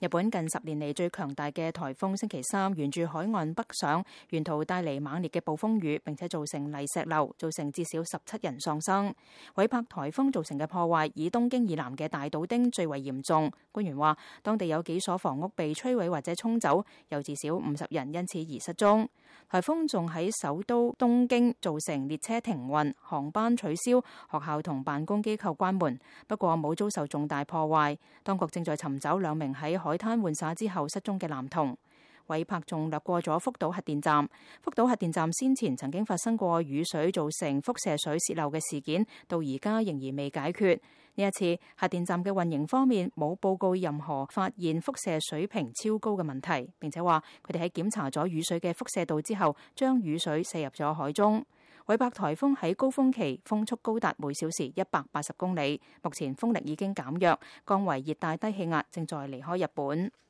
日本近10年嚟最強大嘅颱風星期三沿住海岸北上，沿途帶嚟猛烈嘅暴風雨，並且造成泥石流，造成至少17人喪生。韋帕颱風造成嘅破壞以東京以南嘅大島町最為嚴重。官員話，當地有幾所房屋被摧毀或者沖走，有至少50人因此而失蹤。颱風仲喺首都東京造成列車停運、航班取消、學校同辦公機構關門，不過冇遭受重大破壞。當局正在尋找2名喺海灘玩耍之後失蹤嘅男童。韋帕仲掠過咗福島核電站。福島核電站先前曾經發生過雨水造成輻射水洩漏嘅事件，到而家仍然未解決。呢一次核電站嘅運營方面冇報告任何發現輻射水平超高嘅問題，並且話佢哋喺檢查咗雨水嘅輻射度之後，將雨水射入咗海中。韋帕颱風喺高峰期風速高達每小時180公里，目前風力已經減弱，降為熱帶低氣壓，正在離開日本。